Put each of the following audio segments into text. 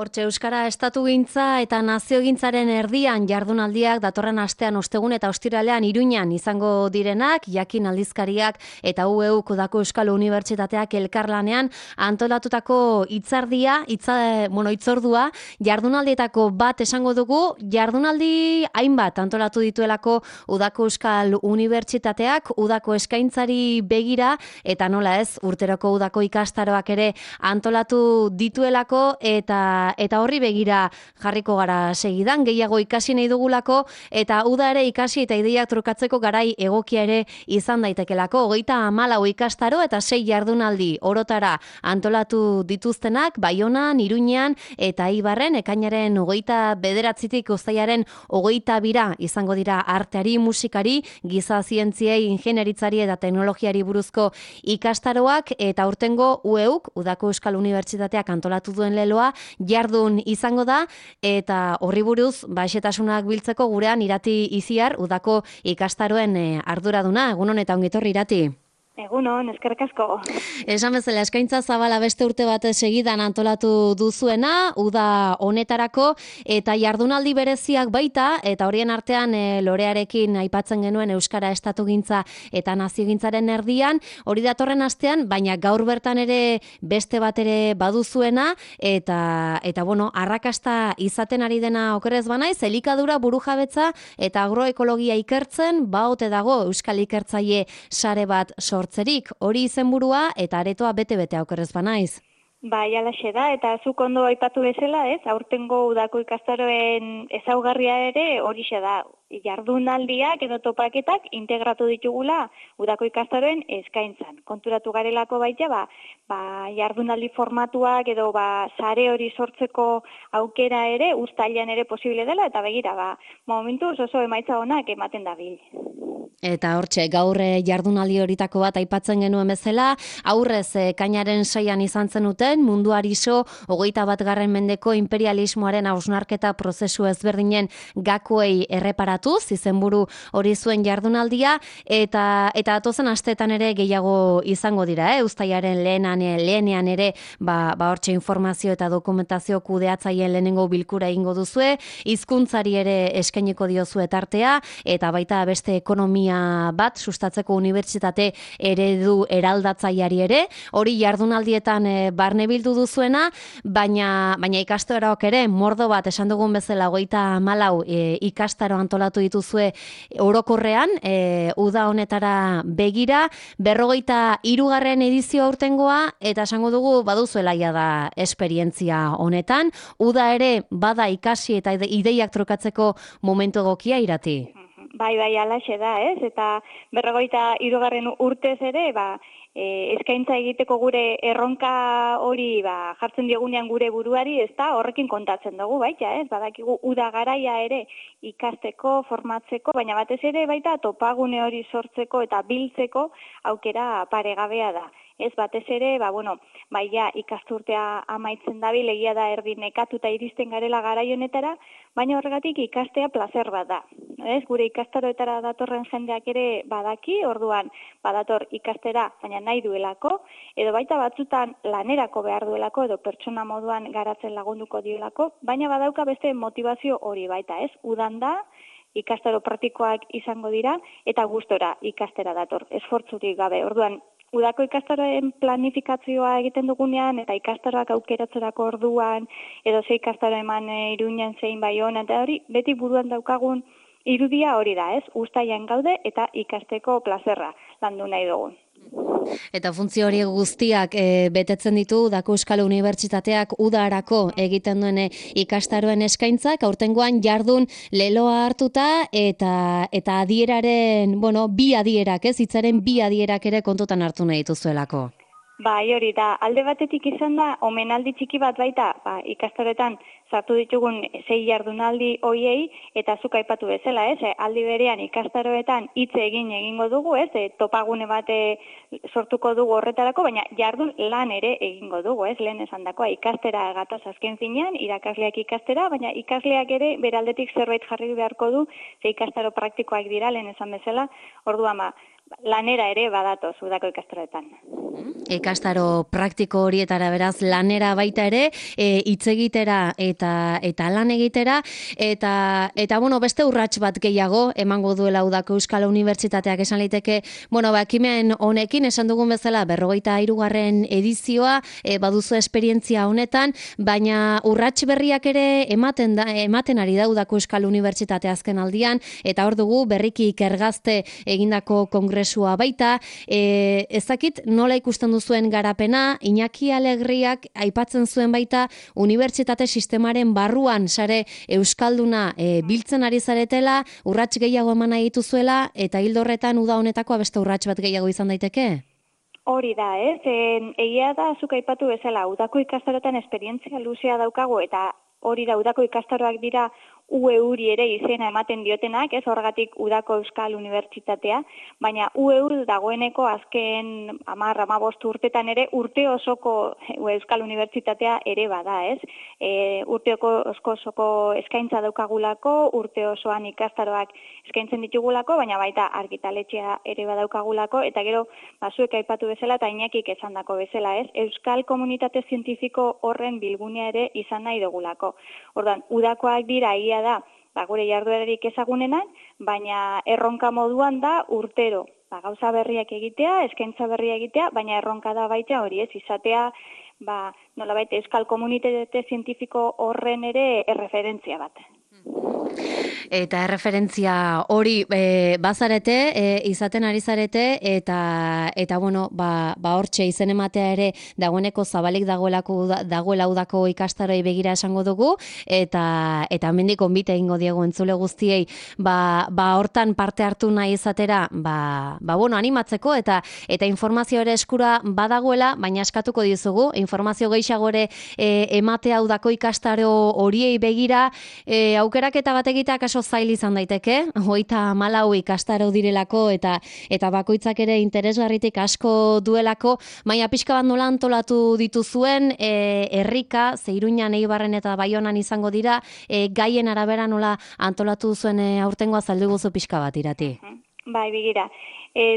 Hortxe Euskara estatugintza eta naziogintzaren erdian jardunaldiak datorren astean ostegun eta ostiralean Iruñan izango direnak, Jakin aldizkariak eta UEUk Udako Euskal Unibertsitateak elkarlanean antolatutako hitzordua jardunaldietako bat esango dugu, jardunaldi hainbat antolatu dituelako Udako Euskal Unibertsitateak, Udako eskaintzari begira eta nola ez, urteroko Udako ikastaroak ere antolatu dituelako eta horri begira jarriko gara segidan, gehiago ikasi nahi dugulako, eta uda ere ikasi eta ideiak trukatzeko garai egokia ere izan daitekelako. 34 ikastaro eta 6 jardunaldi orotara antolatu dituztenak, Baionan, Iruñean eta Eibarren, ekainaren 29tik uztailaren 22ra izango dira arteari, musikari, giza zientziei, ingenieritzari eta teknologiari buruzko ikastaroak, eta aurtengo UEUk, Udako Euskal Unibertsitateak antolatu duen leloa, jardun izango da, eta horri buruz, xehetasunak biltzeko gurean Irati Iziar, Udako ikastaroen arduraduna. Egunon eta ongitorri, Irati. Egunon, eskerrik asko. Esan bezala, eskaintza zabala beste urte bat segidan antolatu duzuena, uda honetarako, eta jardunaldi bereziak baita, eta horien artean lorearekin aipatzen genuen Euskara estatugintza eta naziogintzaren erdian, hori datorren astean, baina gaur bertan ere beste bat ere baduzuena, eta bueno, arrakasta izaten ari dena okerrez banaiz, elikadura, burujabetza eta agroekologia ikertzen, baote dago Euskal Ikertzaile sare bat sortzerik, hori izenburua eta aretoa bete-bete okerrez banaiz. Bai, alaxe da, eta zuk ondo aipatu bezala, ez? Aurtengo Udako ikastaroen ezaugarria ere horixe da. Jardunaldiak edo topaketak integratu ditugula Udako ikastaroen eskaintzan. Konturatu garelako baita, jardunaldi formatuak edo sare hori sortzeko aukera ere uztailean ere posible dela, eta begira, momentuz oso emaitza onak ematen dabil. Eta hortxe, gaur jardunaldi horitako bat aipatzen genuen bezala, aurrez ekainaren 6an izan zenuten, munduari so 21. mendeko imperialismoaren hausnarketa prozesu ezberdinen gakoei erreparatuz, izenburu hori zuen jardunaldia, eta atozen asteetan ere gehiago izango dira, uztailaren lehenean ere, hortxe informazio eta dokumentazio kudeatzaileen lehenengo bilkura egingo duzue, hizkuntzari ere eskainiko diozue tartea, eta baita beste ekonomia bat sustatzeko unibertsitate eredu eraldatzaileari ere, hori jardunaldietan barne bildu duzuena, baina ikastaroak ere mordo bat esan dugun bezala 34 ikastaro antolatu dituzue orokorrean, uda honetara begira, 43. edizio aurtengoa, eta esango dugu baduzuela da esperientzia honetan, uda ere bada ikasi eta ideiak trukatzeko momentu egokia, Irati. Bai, alaxe da, ez? Eta 43. urtez ere, eskaintza egiteko gure erronka hori jartzen diogunean gure buruari, ez da, horrekin kontatzen dugu, baita, ez? Badakigu uda garaia ere ikasteko, formatzeko, baina batez ere baita topagune hori sortzeko eta biltzeko aukera paregabea da. Ez batez ere, ikasturtea amaitzen dabil, egia da erdi nekatuta iristen garela garai honetara, baina horregatik ikastea plazer bat da. Ez, gure ikastaroetara datorren jendeak ere badaki, orduan badator ikastera, baina nahi duelako, edo baita batzutan lanerako behar duelako, edo pertsona moduan garatzen lagunduko diolako, baina badauka beste motivazio hori baita, ez, udan da, ikastaro praktikoak izango dira, eta gustora ikastera dator, esfortzurik gabe, orduan, Udako ikastaroen planifikazioa egiten dugunean eta ikastaroak aukeratzerako orduan edo ze ikastaro eman Iruñan zein Baionan eta hori beti buruan daukagun irudia hori da, ez? Uztailean gaude eta ikasteko plazerra landu nahi dugun. Eta funtzio horiek guztiak betetzen ditu Udako Euskal Unibertsitateak udarako egiten duen ikastaroen eskaintzak, aurtengoan jardun leloa hartuta eta adieraren, bi adierak, hitzaren bi adierak ere kontutan hartu nahi dituzuelako. Bai, hori da, alde batetik izan da, omenaldi txiki bat baita, ikastaroetan sartu ditugun 6 jardunaldi hoiei, eta zuk aipatu bezala, aldi berean ikastaroetan hitz egingo dugu, topagune bat sortuko dugu horretarako, baina jardun lan ere egingo dugu, lehen esan dakoa, ikastera gatoz azken finean, irakasleak ikastera, baina ikasleak ere beraldetik zerbait jarri beharko du, ze ikastaro praktikoak dira, lehen esan bezala, orduan lanera ere badatoz Udako ikastaroetan. Ikastaro praktiko horietara beraz lanera baita ere, hitz egitera eta lan egitera, eta bueno, beste urrats bat gehiago emango duela Udako Euskal Unibertsitateak esan liteke, bueno, ekimen honekin esan dugun bezala 43. edizioa baduzu esperientzia honetan, baina urrats berriak ere ematen ari da Udako Euskal Unibertsitate azken aldian, eta hor dugu berriki ikergazte egindako kongresua baita, ez dakit nola ikusten duzuen garapena, Iñaki Alegriak aipatzen zuen baita unibertsitate sistemaren barruan sare euskalduna biltzen ari zaretela, urrats gehiago eman nahi dituzuela, eta hildo horretan uda honetako beste urrats bat gehiago izan daiteke? Hori da, ez? Egia da, zuk aipatu bezala, Udako ikastaroetan esperientzia luzea daukagu, eta hori da, Udako ikastaroak dira UEUri ere izena ematen diotenak, ez horregatik Udako Euskal Unibertsitatea, baina UEUr dagoeneko azken 10-15 urtetan ere urte osoko Euskal Unibertsitatea ere bada, ez? Urte osoko eskaintza daukagulako, urte osoan ikastaroak eskaintzen ditugulako, baina baita argitaletxea ere badaukagulako, eta gero zuek aipatu bezala eta Iñakik esandako bezala, ez? Euskal Komunitate Zientifiko horren bilgunea ere izan nahi dugulako. Orduan, Udakoak dira egia da, gure jarduerarik ezagunenak, baina erronka moduan da urtero. Gauza berriak egitea, eskaintza berria egitea, baina erronka da baita hori ez, izatea, nolabait Euskal Komunitate Zientifiko horren ere erreferentzia bat. Eta erreferentzia hori bazarete, izaten ari zarete, eta bueno, hortxe izen ematea ere dagoeneko zabalik dagoela Udako ikastaroi begira esango dugu, eta hemendik gonbite egingo diegu entzule guztiei, hortan parte hartu nahi izatera, bueno, animatzeko, eta informazio ere eskura badagoela, baina eskatuko dizugu, informazio gehiago ere ematea Udako ikastaro horiei begira, aukeraketa bat egitea kaso zail izan daiteke, 34 ikastaro direlako eta bakoitzak ere interesgarritik asko duelako, baina pixka bat nola antolatu dituzuen, herrika, Iruñan, Eibarren eta Baionan izango dira, gaien arabera nola antolatu duzuen aurtengoa zaldu guzu pixka bat irati. Bai, begira.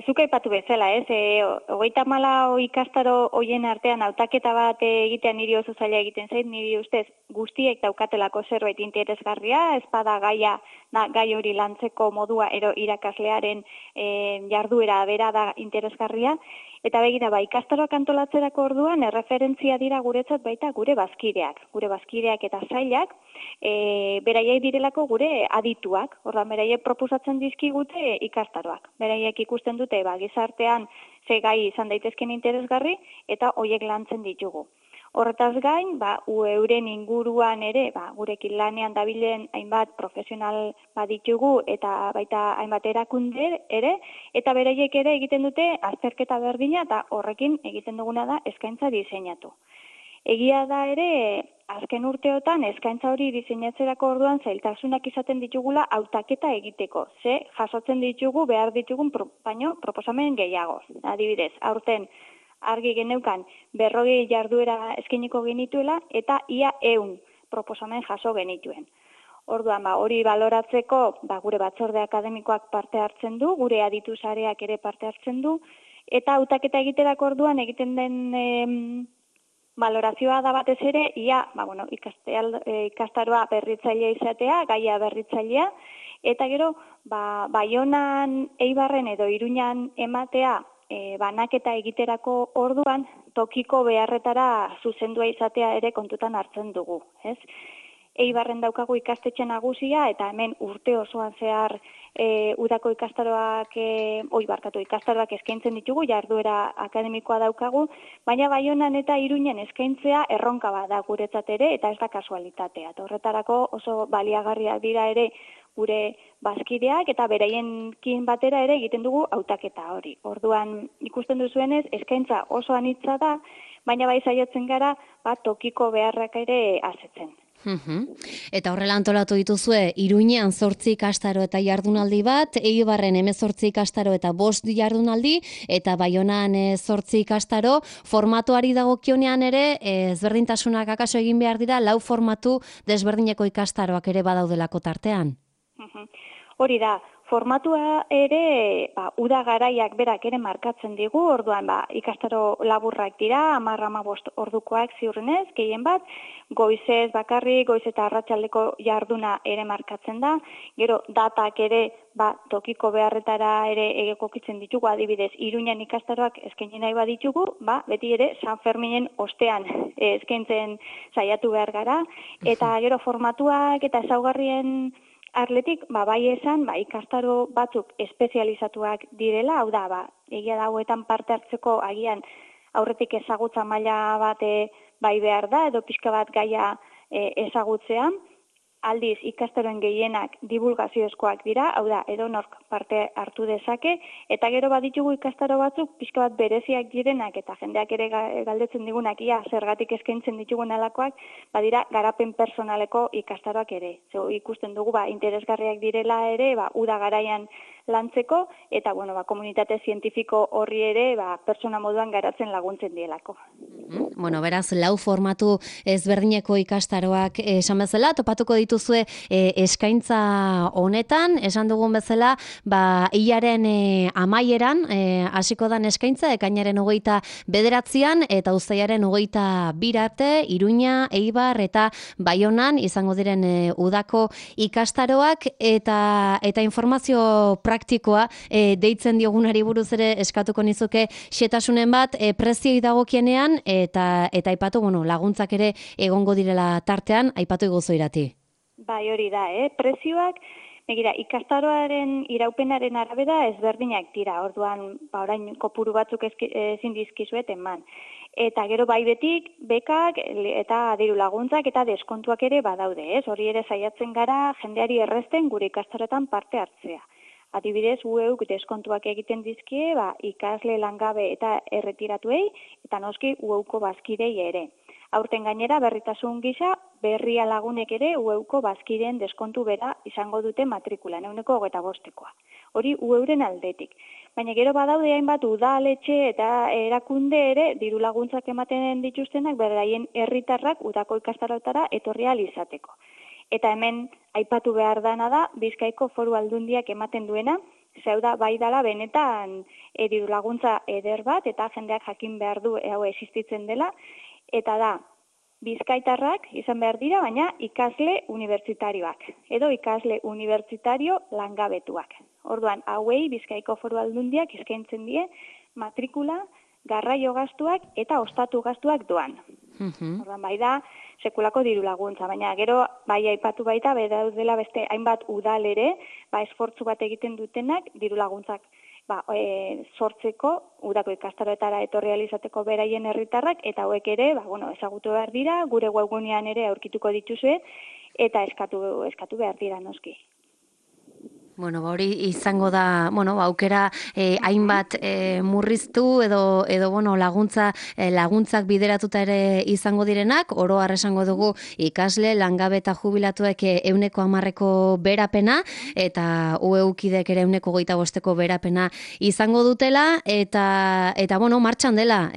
Zuk aipatu bezala, ez? 34 ikastaro hoien artean hautaketa bat egitean niri oso zaila egiten zait, niri ustez guztiek daukatelako zerbait interesgarria, ez bada gai hori lantzeko modua ero irakaslearen jarduera bera da interesgarria, eta begira, ikastaroak antolatzerako orduan erreferentzia dira guretzat baita gure bazkideak eta zailak, beraiek direlako gure adituak, orduan beraiek proposatzen dizkigute ikastaroak, beraiek ikusten dute gizartean ze gai izan daitezken interesgarri eta hoiek lantzen ditugu. Horretaz gain, euren inguruan ere, gurekin lanean dabilen hainbat profesional baditugu eta baita hainbat erakunde ere, eta beraiek ere egiten dute azterketa berdina eta horrekin egiten duguna da eskaintza diseinatu. Egia da ere, azken urteotan eskaintza hori diseinatzerako orduan zailtasunak izaten ditugula hautaketa egiteko. Ze jasotzen ditugu behar ditugun baino proposamen gehiago. Adibidez, aurten argi geneukan 40 jarduera eskainiko genituela eta ia 100 proposamen jaso genituen. Orduan, hori baloratzeko gure batzorde akademikoak parte hartzen du, gure aditu sareak ere parte hartzen du, eta hautaketa egiterako orduan egiten den balorazioa da batez ere, ikastaroa berritzailea izatea, gaia berritzailea, eta gero, Baionan, Eibarren edo Iruñan ematea banaketa egiterako orduan, tokiko beharretara zuzendua izatea ere kontutan hartzen dugu, ez? Eibarren daukagu ikastetxe nagusia, eta hemen urte osoan zehar Udako ikastaroak eskaintzen ditugu, jarduera akademikoa daukagu, baina Baionan eta Iruñen eskaintzea erronka bada guretzat ere, eta ez da kasualitatea. Eta horretarako oso baliagarriak dira ere gure bazkideak, eta beraiekin batera ere egiten dugu hautaketa hori. Orduan ikusten duzuenez, eskaintza oso anitza da, baina bai saiatzen gara tokiko beharrak ere asetzen. Eta horrela antolatu dituzue, Iruñean 8 ikastaro eta jardunaldi bat, Eibarren 18 ikastaro eta 5 jardunaldi, eta Baionan 8 ikastaro, formatuari dagokionean ere, ezberdintasunak akaso egin behar dira, 4 formatu desberdineko ikastaroak ere badaudelako tartean. Hori da, formatua ere, uda garaiak berak ere markatzen digu, orduan ikastaro laburrak dira, 10-15 ordukoak ziurrenez, gehien bat, goizez bakarrik, goiz eta arratsaldeko jarduna ere markatzen da, gero datak ere tokiko beharretara ere egokitzen ditugu, adibidez, Iruñan ikastaroak eskaini nahi baditugu, beti ere San Ferminen ostean eskaintzen saiatu behar gara, eta gero formatuak eta ezaugarrien arletik, bai esan, ikastaro batzuk espezializatuak direla, hau da, egia da hauetan parte hartzeko agian aurretik ezagutza maila bat bai behar da, edo pixka bat gaia ezagutzea, aldiz ikastaroen gehienak divulgaziozkoak dira, hau da, edonork parte hartu dezake, eta gero baditugu ikastaro batzuk pixka bat bereziak direnak, eta jendeak ere galdetzen digunak, zergatik eskaintzen ditugun alakoak, badira garapen personaleko ikastaroak ere. Ikusten dugu, interesgarriak direla ere, uda garaian lantzeko, eta, komunitate zientifiko horri ere, pertsona moduan garatzen laguntzen dielako. Beraz, 4 formatu ezberdineko ikastaroak esan bezala, topatuko dituzue eskaintza honetan, esan dugun bezala, hilaren amaieran, hasiko dan eskaintza, ekainaren 29 eta uztailaren 22 arte, Iruña, Eibar eta Baionan izango diren udako ikastaroak, eta informazio praktikoa deitzen diogunari buruz ere eskatuko nizuke xetasunen bat prezioi dagokienean, eta aipatu, laguntzak ere egongo direla tartean, aipatu iguzu Irati. Bai, hori da, prezioak, ikastaroaren iraupenaren arabera ezberdinak dira, orduan, orain kopuru batzuk ezin dizkizuet eman. Eta gero betik, bekak eta diru laguntzak eta deskontuak ere badaude, hori ere saiatzen gara jendeari errezten gure ikastaroetan parte hartzea. Adibidez, UEUk deskontuak egiten dizkie, ikasle langabe eta erretiratuei, eta noski UEUko bazkidei ere. Aurten gainera, berritasun gisa, berria lagunek ere UEUko bazkideen deskontu bera izango dute matrikula, 25%. Hori UEUren aldetik. Baina gero badaude hainbat udaletxe eta erakunde ere diru laguntzak ematen dituztenak beraien herritarrak udako ikastaroetara etorri ahal izateko. Eta hemen aipatu behar dana da, Bizkaiko Foru Aldundiak ematen duena, zeuda bai dala benetan diru laguntza eder bat, eta jendeak jakin behar du hau existitzen dela, eta da, Bizkaitarrak izan behar dira, baina ikasle unibertsitarioak, edo ikasle unibertsitario langabetuak. Orduan, hauei Bizkaiko Foru Aldundiak eskaintzen die matrikula, garraio gastuak eta ostatu gastuak doan. Orduan, bai da, sekulako diru laguntza, baina gero bai aipatu baita, daudela beste hainbat udal ere, esfortzu bat egiten dutenak diru laguntzak sortzeko, udako ikastaroetara etorri ahal izateko beraien herritarrak, eta hauek ere, ezagutu behar dira, gure webgunean ere aurkituko dituzue, eta eskatu behar dira noski. Hori izango da, aukera hainbat murriztu edo laguntzak bideratuta ere izango direnak, oro har esango dugu ikasle, langabe eta jubilatuek 110% berapena, eta UEUkidek ere 125% berapena izango dutela, eta martxan dela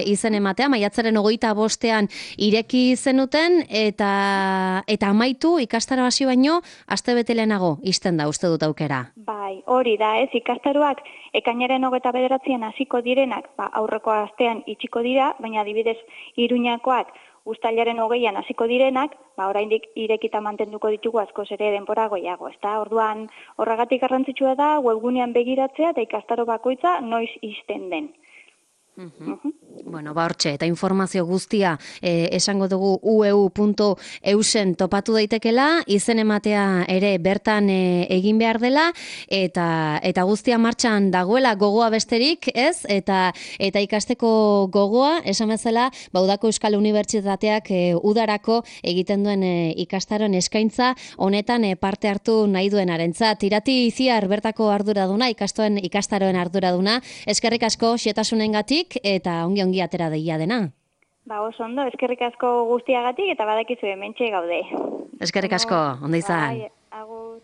izen ematea, maiatzaren 25ean ireki zenuten, eta amaitu ikastaro hasi baino, astebete lehenago izten da, uste dut aukera. Bai, hori da, ikastaroak ekainaren 29ean hasiko direnak, aurreko astean itxiko dira, baina adibidez Iruñakoak uztailaren 20ean hasiko direnak, oraindik irekita mantenduko ditugu askoz ere denbora gehiago, ezta? Orduan, horregatik garrantzitsua da webgunean begiratzea eta ikastaro bakoitza noiz ixten den. Hortxe, eta informazio guztia esango dugu ueu.eusen topatu daitekela, izen ematea ere bertan egin behar dela, eta guztia martxan dagoela gogoa besterik, ez? Eta ikasteko gogoa, esan bezala, Udako Euskal Unibertsitateak udarako egiten duen ikastaroen eskaintza, honetan parte hartu nahi duenarentzat. Irati Iziar bertako arduraduna, ikastaroen arduraduna, eskerrik asko xetasunengatik, eta ongi atera deia dena. Oso ondo, eskerrik asko guztiagatik eta badakizu hementxe gaude. Eskerrik asko, ondo izan.